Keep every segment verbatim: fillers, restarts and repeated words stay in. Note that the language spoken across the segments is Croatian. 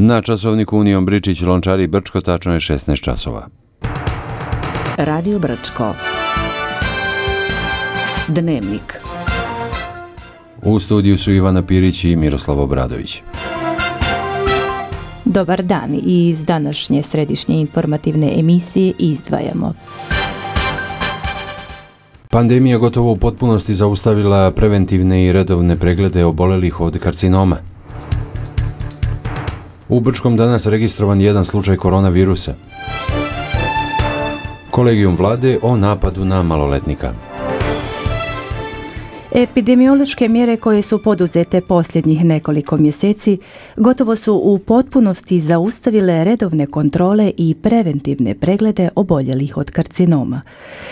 Na časovniku Union Bričić Lončari Brčko, tačno je šesnaest časova. Radio Brčko. Dnevnik. U studiju su Ivana Pirić i Miroslav Obradović. Dobar dan i iz današnje središnje informativne emisije izdvajamo. Pandemija gotovo u potpunosti zaustavila preventivne i redovne preglede obolelih od karcinoma. U Brčkom danas registrovan jedan slučaj koronavirusa. Kolegijum vlade o napadu na maloletnika. Epidemiološke mjere koje su poduzete posljednjih nekoliko mjeseci gotovo su u potpunosti zaustavile redovne kontrole i preventivne preglede oboljelih od karcinoma.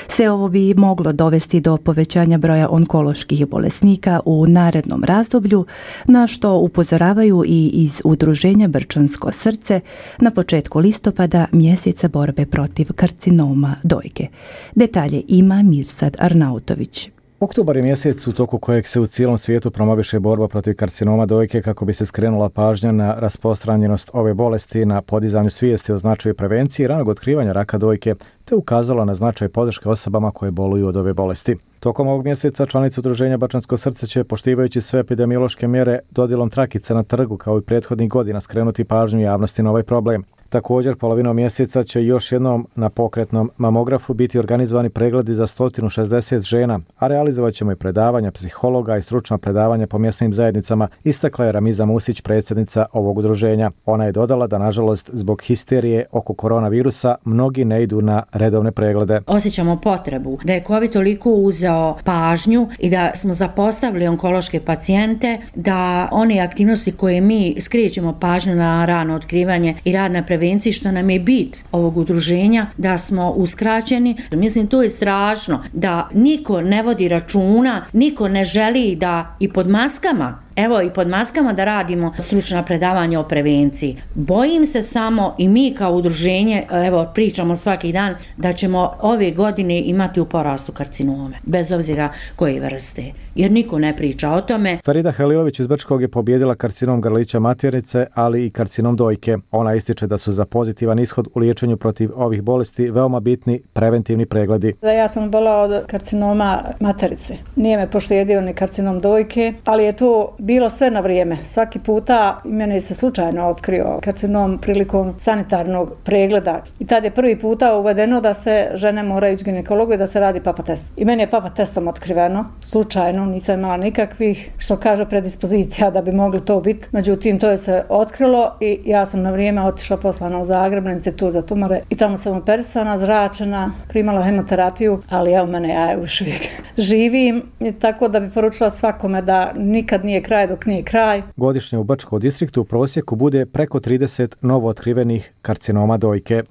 Sve ovo bi moglo dovesti do povećanja broja onkoloških bolesnika u narednom razdoblju, na što upozoravaju i iz udruženja Brčansko srce na početku listopada, mjeseca borbe protiv karcinoma dojke. Detalje ima Mirsad Arnautović. Oktobar je mjesec u toku kojeg se u cijelom svijetu promoviše borba protiv karcinoma dojke kako bi se skrenula pažnja na rasprostranjenost ove bolesti, na podizanju svijesti o značaju prevencije i ranog otkrivanja raka dojke, te ukazala na značaj podrške osobama koje boluju od ove bolesti. Tokom ovog mjeseca članice udruženja Brčansko srce će, poštivajući sve epidemiološke mjere, dodjelom trakica na trgu kao i prethodnih godina skrenuti pažnju javnosti na ovaj problem. Također, polovinom mjeseca će još jednom na pokretnom mamografu biti organizovani pregledi za sto šezdeset žena, a realizovat ćemo i predavanja psihologa i stručna predavanja po mjesnim zajednicama, istakla je Ramiza Musić, predsjednica ovog udruženja. Ona je dodala da, nažalost, zbog histerije oko koronavirusa, mnogi ne idu na redovne preglede. Osjećamo potrebu da je COVID toliko uzeo pažnju i da smo zapostavili onkološke pacijente, da one aktivnosti koje mi skrećemo pažnju na rano otkrivanje i rad na prevenciji, što nam je bit ovog udruženja, da smo uskraćeni. Mislim, to je strašno, da niko ne vodi računa, niko ne želi da i pod maskama, evo i pod maskama da radimo stručna predavanja o prevenciji. Bojim se samo i mi kao udruženje, evo pričamo svaki dan, da ćemo ove godine imati u porastu karcinome, bez obzira koje vrste, jer niko ne priča o tome. Farida Halilović iz Brčkog je pobijedila karcinom grlića maternice, ali i karcinom dojke. Ona ističe da su za pozitivan ishod u liječenju protiv ovih bolesti veoma bitni preventivni pregledi. Da, ja sam bola od karcinoma materice. Nije me poštedio ni karcinom dojke, ali je to bilo sve na vrijeme. Svaki puta meni se slučajno otkrio karcinom prilikom sanitarnog pregleda. I tad je prvi puta uvedeno da se žene moraju ići ginekologu i da se radi papa test. I meni je papa testom otkriveno, slučajno, nisam imala nikakvih, što kaže, predispozicija da bi mogli to biti. Međutim, to je se otkrilo i ja sam na vrijeme otišla poslana u Zagreb na institut za tumore i tamo sam operisana, zračena, primala hemoterapiju, ali evo mene, ja još uvijek živim, tako da bi poručila svakome da nikad nije kraj dok nije kraj. Godišnje u Brčkom distriktu u prosjeku bude preko trideset novo otkrivenih karcinoma dojke.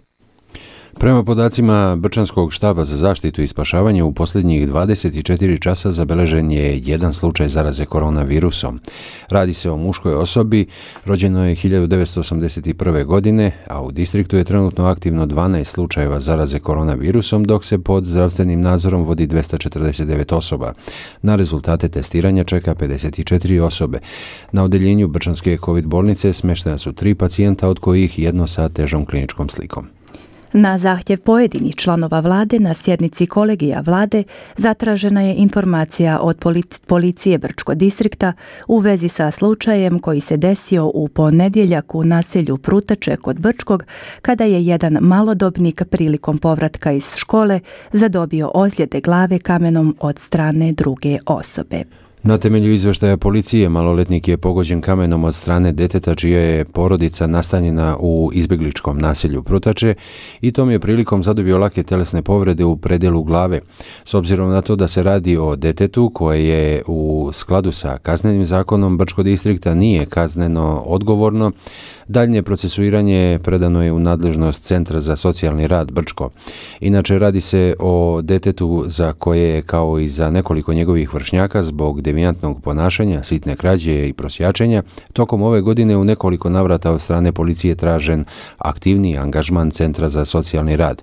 Prema podacima Brčanskog štaba za zaštitu i spašavanje, u posljednjih dvadeset četiri časa zabeležen je jedan slučaj zaraze koronavirusom. Radi se o muškoj osobi, rođeno je hiljadu devetsto osamdeset prve. godine, a u distriktu je trenutno aktivno dvanaest slučajeva zaraze koronavirusom, dok se pod zdravstvenim nadzorom vodi dvjesto četrdeset devet osoba. Na rezultate testiranja čeka pedeset četiri osobe. Na odeljenju Brčanske COVID bolnice smještena su tri pacijenta, od kojih jedno sa težom kliničkom slikom. Na zahtjev pojedinih članova vlade na sjednici kolegija vlade zatražena je informacija od policije Brčkog distrikta u vezi sa slučajem koji se desio u ponedjeljak u naselju Prutače kod Brčkog, kada je jedan malodobnik prilikom povratka iz škole zadobio ozljede glave kamenom od strane druge osobe. Na temelju izvještaja policije, maloletnik je pogođen kamenom od strane djeteta čija je porodica nastanjena u izbjegličkom naselju Prutače i tom je prilikom zadobio lake telesne povrede u predjelu glave. S obzirom na to da se radi o djetetu koje je u skladu sa kaznenim zakonom Brčkog distrikta nije kazneno odgovorno, daljnje procesuiranje predano je u nadležnost Centra za socijalni rad Brčko. Inače, radi se o djetetu za koje, kao i za nekoliko njegovih vršnjaka, zbog devijantnog ponašanja, sitne krađe i prosjačenja, tokom ove godine u nekoliko navrata od strane policije tražen aktivniji angažman Centra za socijalni rad.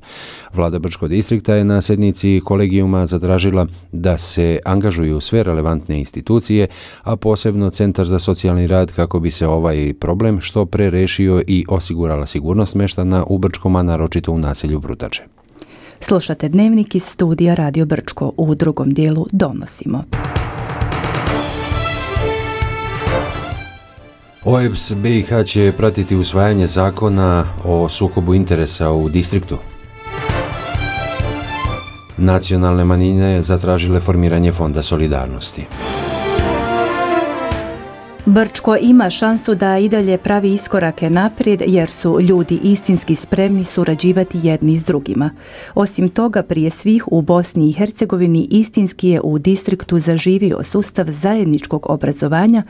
Vlada Brčkog distrikta je na sjednici kolegijuma zatražila da se angažuju sve relevantne institucije, a posebno Centar za socijalni rad kako bi se ovaj problem što pre rešio i osigurala sigurnost meštana u Brčkom, a naročito u naselju Brutače. Slušate dnevnik iz studija Radio Brčko. U drugom dijelu donosimo. O E B S B i H će pratiti usvajanje zakona o sukobu interesa u distriktu. Nacionalne manjine zatražile formiranje Fonda solidarnosti. Brčko ima šansu da i dalje pravi iskorake naprijed jer su ljudi istinski spremni surađivati jedni s drugima. Osim toga, prije svih u Bosni i Hercegovini istinski je u distriktu zaživio sustav zajedničkog obrazovanja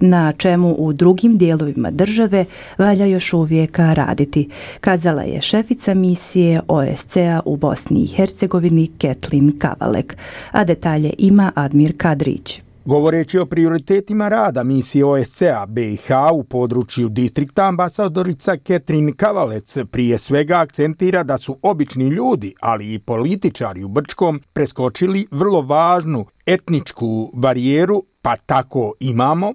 na čemu u drugim dijelovima države valja još uvijek raditi, kazala je šefica misije O S C A u Bosni i Hercegovini Ketlin Kavalek, a detalje ima Admir Kadrić. Govoreći o prioritetima rada misije O S C A B i H u području distrikta, ambasadorica Ketrin Kavalec prije svega akcentira da su obični ljudi, ali i političari u Brčkom preskočili vrlo važnu etničku barijeru, pa tako imamo.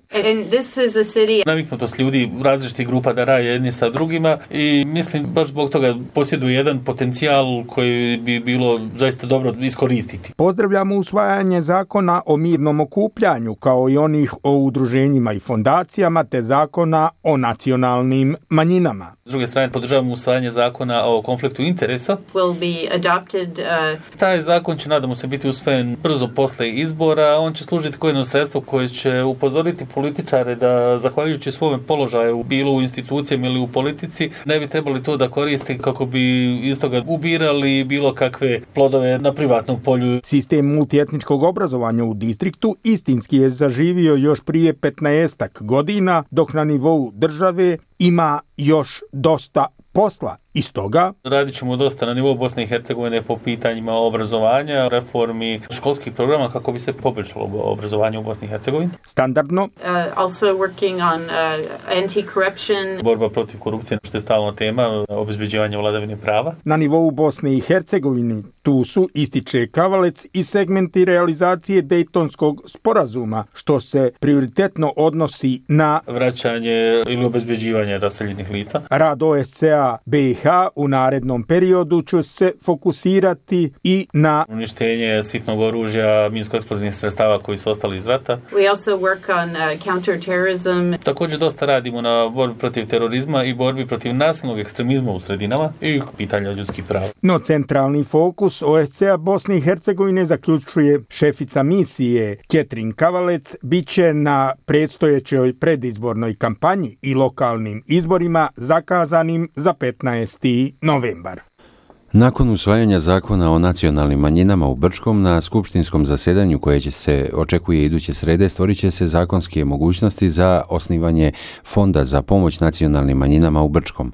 Naviknutost ljudi različitih grupa da rade jedni sa drugima i mislim baš zbog toga posjeduje jedan potencijal koji bi bilo zaista dobro iskoristiti. Pozdravljamo usvajanje zakona o mirnom okupljanju kao i onih o udruženjima i fondacijama te zakona o nacionalnim manjinama. S druge strane podržavamo usvajanje zakona o konfliktu interesa. Will be adopted, uh... Taj zakon će nadamo se biti usvojen brzo posle izbora. On će služiti kao jedno sredstvo koje će upozoriti političare da zahvaljujući svome položaju bilo u institucijama ili u politici ne bi trebali to da koristi kako bi iz toga ubirali bilo kakve plodove na privatnom polju. Sistem multietničkog obrazovanja u distriktu istinski je zaživio još prije petnaestak godina, dok na nivou države ima još dosta posla. Iz toga radit ćemo dosta na nivou Bosne i Hercegovine po pitanjima obrazovanja, reformi školskih programa kako bi se poboljšalo obrazovanje u Bosni i Hercegovini. Standardno. Uh, also working on uh, anti-corruption. Borba protiv korupcije, što je stalna tema, obezbeđivanje vladavine prava. Na nivou Bosne i Hercegovine tu su, ističe Kavalec, i segmenti realizacije Dejtonskog sporazuma, što se prioritetno odnosi na vraćanje ili obezbeđivanje raseljenih lica. Rad O S C A B i H u narednom periodu će se fokusirati i na uništenje sitnog oružja, minsko-eksplozivnih sredstava koji su ostali iz rata. We also work on uh, counterterrorism. Također dosta radimo na borbi protiv terorizma i borbi protiv nasilnog ekstremizma u sredinama i pitanja ljudskih prava. No centralni fokus O S C A Bosne i Hercegovine, zaključuje šefica misije Ketrin Kavalec, bit će na predstojećoj predizbornoj kampanji i lokalnim izborima zakazanim za petnaesti novembar. Nakon usvajanja zakona o nacionalnim manjinama u Brčkom, na skupštinskom zasjedanju koje će se očekuje iduće srede, stvorit će se zakonske mogućnosti za osnivanje Fonda za pomoć nacionalnim manjinama u Brčkom.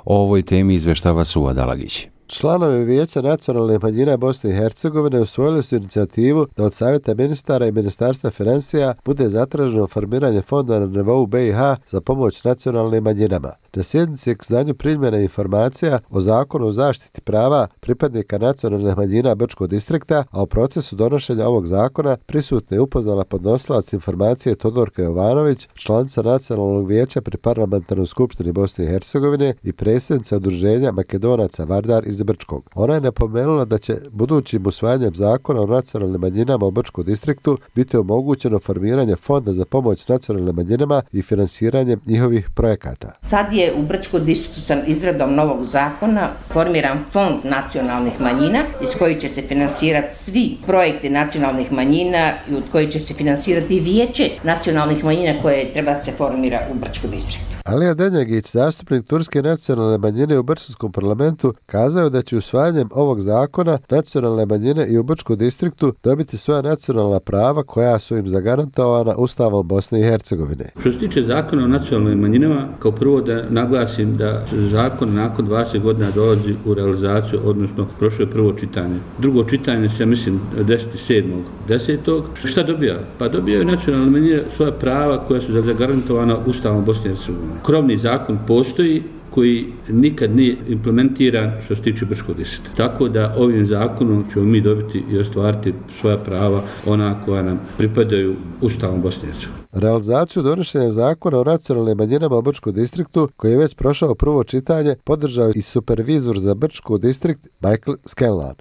O ovoj temi izveštava Suad Alagić. Članovi Vijeća nacionalne manjine Bosne i Hercegovine usvojili su inicijativu da od Savjeta ministara i Ministarstva financija bude zatraženo formiranje fonda na nivou B i H za pomoć nacionalnim manjinama. Na sjednici je k znanju primljena informacija o zakonu o zaštiti prava pripadnika nacionalnih manjina Brčkog distrikta, a o procesu donošenja ovog zakona prisutna je upoznala podnosilac informacije Todorka Jovanović, članica Nacionalnog vijeća pri Parlamentarnoj skupštini Bosne i Hercegovine i predsjednica udruženja Makedonaca Vardar iz Brčkog. Ona je napomenula da će budućim usvajanjem zakona o nacionalnim manjinama u Brčkom distriktu biti omogućeno formiranje fonda za pomoć nacionalnim manjinama i finansiranje njihovih projekata. Sad je u Brčkom distriktu sa izradom novog zakona formiran fond nacionalnih manjina iz kojih će se finansirati svi projekti nacionalnih manjina i od kojih će se finansirati vijeće nacionalnih manjina koje treba da se formira u Brčkom distriktu. Alija Denjagić, zastupnik turske nacionalne manjine u Brčanskom parlamentu, kazao da će usvajanjem ovog zakona nacionalne manjine i u Brčkom distriktu dobiti svoja nacionalna prava koja su im zagarantovana Ustavom Bosne i Hercegovine. Što se tiče zakona o nacionalnim manjinama, kao prvo da naglasim da zakon nakon dvadeset godina dolazi u realizaciju, odnosno prošlo je prvo čitanje. Drugo čitanje se, mislim, deset sedmog desetog Šta dobija? Pa dobijaju nacionalne manjine svoja prava koja su zagarantovana Ustavom Bosne i Hercegovine. Krovni zakon postoji koji nikad nije implementiran što se tiče Brčkog distrikta. Tako da ovim zakonom ćemo mi dobiti i ostvariti svoja prava, ona koja nam pripadaju Ustavom Bosne i Hercegovine. Realizaciju donošenja zakona o nacionalnim manjinama u Brčkom distriktu, koji je već prošao prvo čitanje, podržao i supervizor za Brčki distrikt Michael Scanlan.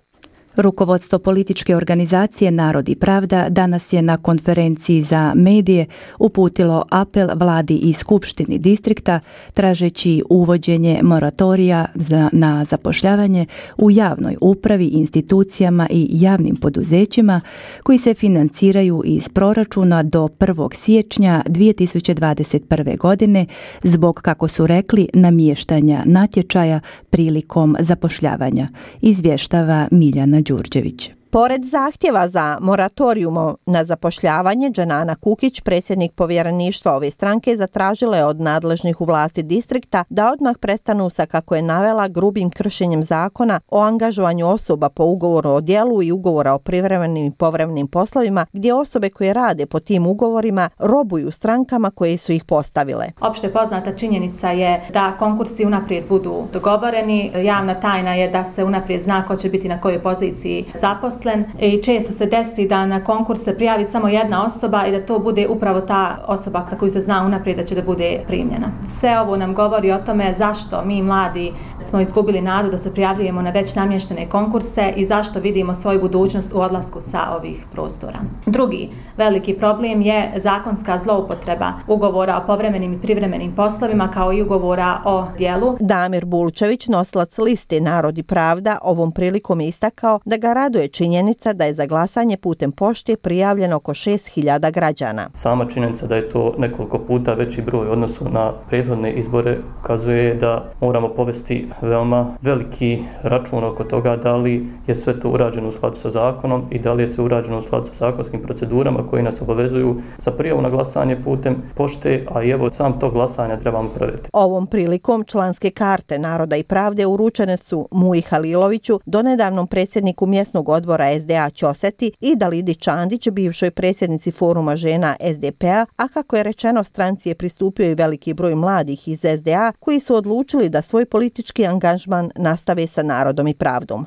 Rukovodstvo političke organizacije Narod i pravda danas je na konferenciji za medije uputilo apel vladi i skupštini distrikta tražeći uvođenje moratorija za, na zapošljavanje u javnoj upravi, institucijama i javnim poduzećima koji se financiraju iz proračuna do prvog siječnja dvije tisuće dvadeset prve. godine zbog, kako su rekli, namještanja natječaja prilikom zapošljavanja, izvještava Miljana Đurđević. Pored zahtjeva za moratorijum na zapošljavanje, Džanana Kukić, predsjednik povjereništva ove stranke, zatražila je od nadležnih u vlasti distrikta da odmah prestanu sa, kako je navela, grubim kršenjem zakona o angažovanju osoba po ugovoru o djelu i ugovora o privremenim i povremenim poslovima, gdje osobe koje rade po tim ugovorima robuju strankama koje su ih postavile. Opšte poznata činjenica je da konkursi unaprijed budu dogovoreni. Javna tajna je da se unaprijed zna ko će biti na kojoj poziciji zaposlen. I često se desi da na konkurs se prijavi samo jedna osoba i da to bude upravo ta osoba za koju se zna unaprijed da će da bude primljena. Sve ovo nam govori o tome zašto mi mladi smo izgubili nadu da se prijavljujemo na već namještene konkurse i zašto vidimo svoju budućnost u odlasku sa ovih prostora. Drugi veliki problem je zakonska zloupotreba ugovora o povremenim i privremenim poslovima kao i ugovora o djelu. Damir Bulčević, nosilac liste Narod i pravda, ovom prilikom je istakao da ga raduje činjenica da je za glasanje putem pošte prijavljeno oko šest hiljada građana. Sama činjenica da je to nekoliko puta veći broj u odnosu na prethodne izbore ukazuje da moramo povesti veoma veliki račun oko toga da li je sve to urađeno u skladu sa zakonom i da li je sve urađeno u skladu sa zakonskim procedurama koji nas obavezuju za prijavu na glasanje putem pošte, a i evo sam to glasanje trebamo provjeriti. Ovom prilikom članske karte Naroda i pravde uručene su Muji Haliloviću, donedavnom predsjedniku mjesnog odbora S D A Ćoseti, i Dalidi Čandić, bivšoj predsjednici foruma žena S D P-a, a kako je rečeno, stranci je pristupio i veliki broj mladih iz S D A koji su odlučili da svoj politički angažman nastave sa Narodom i pravdom.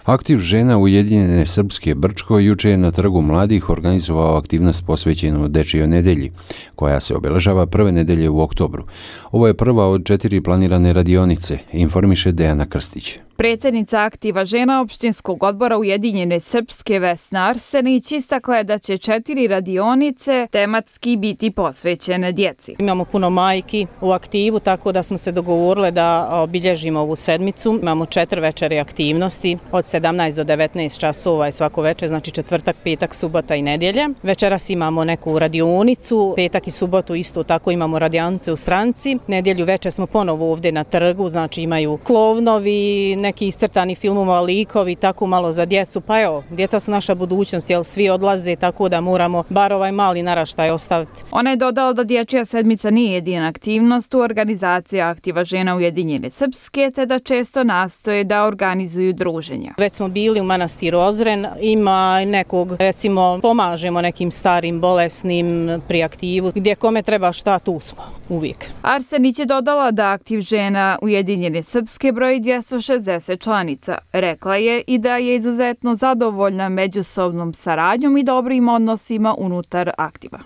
Aktiv žena Ujedinjene Srpske Brčko juče je na Trgu mladih organizovao aktivnost posvećenu Dečijoj nedelji, koja se obeležava prve nedelje u oktobru. Ovo je prva od četiri planirane radionice, informiše Dejana Krstić. Predsjednica Aktiva žena opštinskog odbora Ujedinjene Srpske Vesna Arsenić istakla je da će četiri radionice tematski biti posvećene djeci. Imamo puno majki u aktivu, tako da smo se dogovorili da obilježimo ovu sedmicu. Imamo četiri večeri aktivnosti od sedamnaest do devetnaest časova je svako večer, znači četvrtak, petak, subota i nedjelja. Večeras imamo neku radionicu, petak i subotu isto tako imamo radionice u stranci. Nedjelju večer smo ponovo ovdje na trgu, znači imaju klovnovi, neki iscrtani filmova, likovi, tako malo za djecu. Pa evo, djeca su naša budućnost, jer svi odlaze, tako da moramo bar ovaj mali naraštaj ostaviti. Ona je dodala da dječja sedmica nije jedina aktivnost u organizaciji Aktiva žena Ujedinjene Srpske, te da često nastoje da organizuju druženja. Već smo bili u manastiru Ozren, ima nekog, recimo, pomažemo nekim starim, bolesnim pri aktivu, gdje kome treba šta, tu smo, uvijek. Arsenić je dodala da Aktiv žena Ujedinjene Srpske broji dvjesto šezdeset članica. Rekla je i da je izuzetno zadovoljna međusobnom saradnjom i dobrim odnosima unutar Aktiva.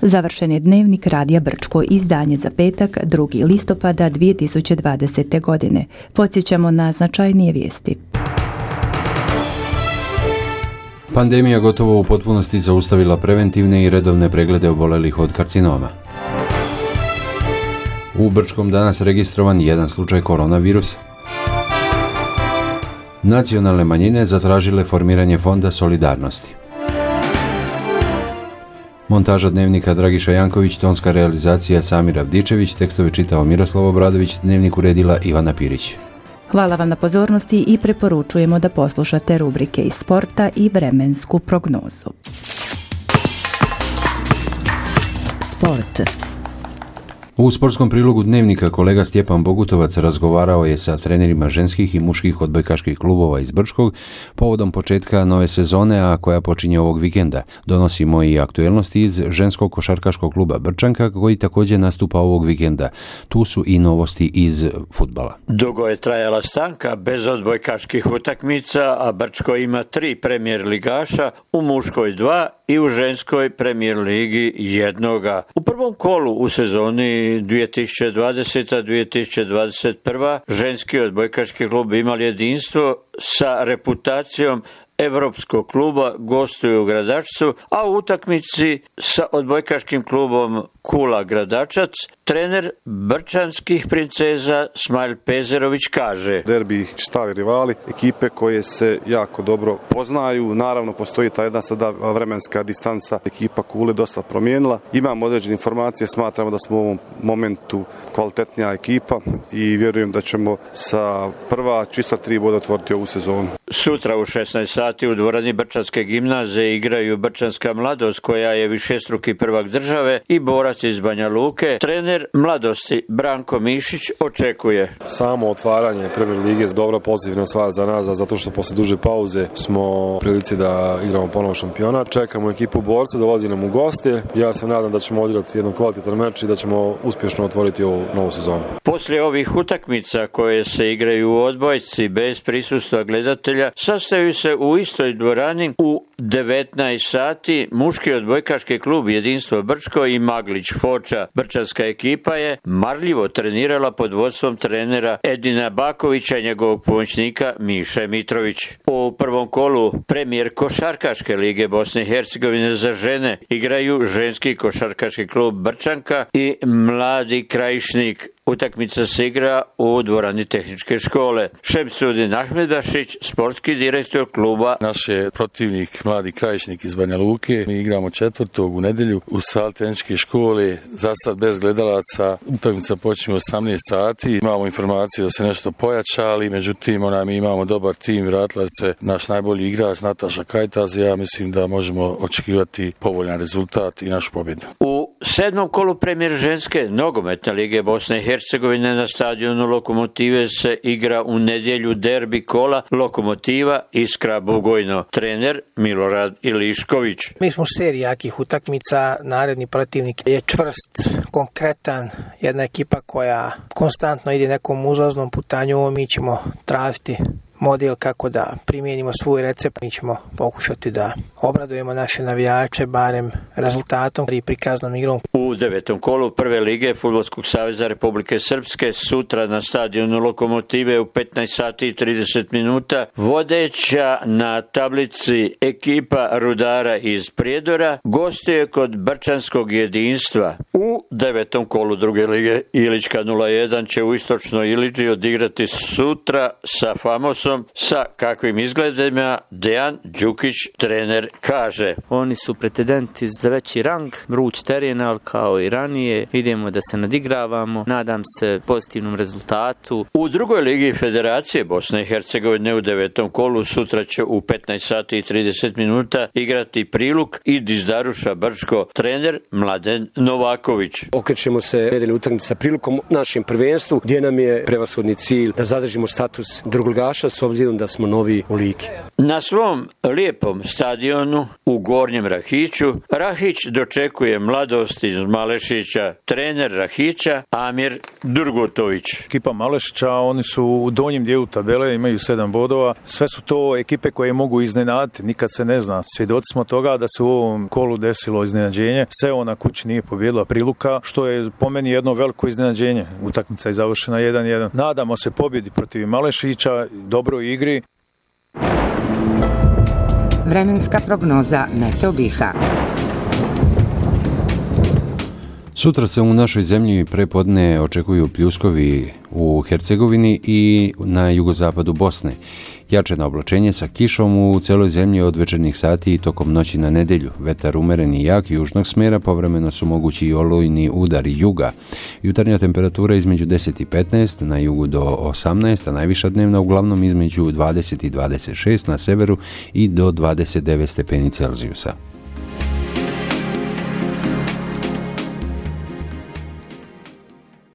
Završen je dnevnik Radija Brčko, izdanje za petak, drugi listopada dvije tisuće dvadesete. godine. Podsjećamo na značajnije vijesti. Pandemija gotovo u potpunosti zaustavila preventivne i redovne preglede obolelih od karcinoma. U Brčkom danas registrovan jedan slučaj koronavirusa. Nacionalne manjine zatražile formiranje Fonda solidarnosti. Montaža Dnevnika Dragiša Janković, tonska realizacija Samir Avdičević, tekstove čitao Miroslav Obradović, Dnevnik uredila Ivana Pirić. Hvala vam na pozornosti i preporučujemo da poslušate rubrike iz sporta i vremensku prognozu. Sport. U sportskom prilogu Dnevnika kolega Stjepan Bogutovac razgovarao je sa trenerima ženskih i muških odbojkaških klubova iz Brčkog povodom početka nove sezone, a koja počinje ovog vikenda. Donosimo i aktuelnosti iz ženskog košarkaškog kluba Brčanka, koji također nastupa ovog vikenda. Tu su i novosti iz fudbala. Dugo je trajala stanka bez odbojkaških utakmica, a Brčko ima tri premijer ligaša, u muškoj dva i u ženskoj premijer ligi jednoga. U prvom kolu u sezoni dvije tisuće dvadesete dvije tisuće dvadeset prve ženski odbojkaški klub imali jedinstvo sa reputacijom Evropskog kluba, gostuju u Gradačcu, a u utakmici sa odbojkaškim klubom Kula Gradačac trener brčanskih princeza Smajl Pezerović kaže: derbi stari rivali, ekipe koje se jako dobro poznaju, naravno postoji ta jedna sada vremenska distanca, ekipa Kule dosta promijenila, imamo određene informacije, smatramo da smo u ovom momentu kvalitetnija ekipa i vjerujem da ćemo sa prva čista tri boda otvoriti ovu sezonu. Sutra u šesnaest sati u dvorani Brčanske gimnazije igraju Brčanska mladost, koja je višestruki prvak države, i borac iz Banja Luke. Trener mladosti Branko Mišić očekuje: samo otvaranje Premier lige je dobra pozitivna stvar za nas, zato što posle duže pauze smo u prilici da igramo ponovo šampionat. Čekamo ekipu borca, dolazi nam u goste. Ja se nadam da ćemo odigrati jedan kvalitetan meč i da ćemo uspješno otvoriti ovu novu sezonu. Poslije ovih utakmica koje se igraju u odbojci bez prisustva gledatelja, sastaju se u istoj dvorani u devetnaest sati muški odbojkaški klub Jedinstvo Brčko i Maglić Foča. Brčanska ekipa je marljivo trenirala pod vodstvom trenera Edina Bakovića i njegovog pomoćnika Miše Mitrović. U prvom kolu premijer košarkaške lige Bosne i Hercegovine za žene igraju ženski košarkaški klub Brčanka i Mladi Krajišnik. Utakmica se igra u dvorani tehničke škole. Šemsudin Ahmedbašić, sportski direktor kluba. Naš je protivnik Mladi Krajišnik iz Banja Luke. Mi igramo četvrtog u nedjelju u sali tehničke škole, za sad bez gledalaca. Utakmica počinje u osamnaest sati. Imamo informaciju da se nešto pojačali, međutim ona, mi imamo dobar tim, vratila se naš najbolji igrač Nataša Kajtaz. Ja mislim da možemo očekivati povoljan rezultat i našu pobjedu. U sedmom kolu premijer ženske nogometne lige Bosne i Hercegovine na stadionu Lokomotive se igra u nedjelju derbi kola Lokomotiva Iskra Bugojno. Trener Milorad Ilišković. Mi smo u seriji jakih utakmica, naredni protivnik je čvrst, konkretan, jedna ekipa koja konstantno ide nekom uzlaznom putanju. Mi ćemo tražiti model kako da primijenimo svoj recept. Mi ćemo pokušati da obradujemo naše navijače barem rezultatom i prikaznom igrom. U devetom kolu prve lige Fudbalskog saveza Republike Srpske sutra na stadionu Lokomotive u petnaest sati i trideset minuta vodeća na tablici ekipa Rudara iz Prijedora gostuje kod Brčanskog jedinstva. U devetom kolu druge lige Ilička nula jedan će u Istočnoj Iliđi odigrati sutra sa Famosom. Sa kakvim izgledima Dejan Đukić, trener, kaže: oni su pretendenti za veći rang, vruć teren, ali kao i ranije idemo da se nadigravamo, nadam se pozitivnom rezultatu. U drugoj ligi Federacije Bosne i Hercegovine u devetom kolu sutra će u petnaest sati i trideset minuta igrati Priluk i Dizdaruša Brčko, trener Mladen Novaković. Okrećemo se nedeljne utakmice sa Prilukom našem prvenstvu, gdje nam je prevashodni cilj da zadržimo status drugoligaša s obzirom da smo novi u ligi. Na svom lijepom stadionu u Gornjem Rahiću Rahić dočekuje mladost iz Malešića. Trener Rahića Amir Durgutović. Ekipa Malešića, oni su u donjem dijelu tabele, imaju sedam bodova. Sve su to ekipe koje mogu iznenaditi, nikad se ne zna. Svjedoci smo toga da se u ovom kolu desilo iznenađenje. Sevo na kući nije pobjedila Priluka, što je po meni jedno veliko iznenađenje. Utakmica je završena jedan jedan. Nadamo se pobjedi protiv Malešića, dobroj igri. Vremenska prognoza Meteo Biha. Sutra se u našoj zemlji prepodne očekuju pljuskovi u Hercegovini i na jugozapadu Bosne. Jačeno oblačenje sa kišom u celoj zemlji od večernjih sati i tokom noći na nedjelju. Vetar umeren i jak južnog smjera, povremeno su mogući i olujni udari juga. Jutarnja temperatura između deset i petnaest, na jugu do osamnaest, a najviša dnevna uglavnom između dvadeset i dvadeset šest na severu i do dvadeset devet stepeni Celzijusa.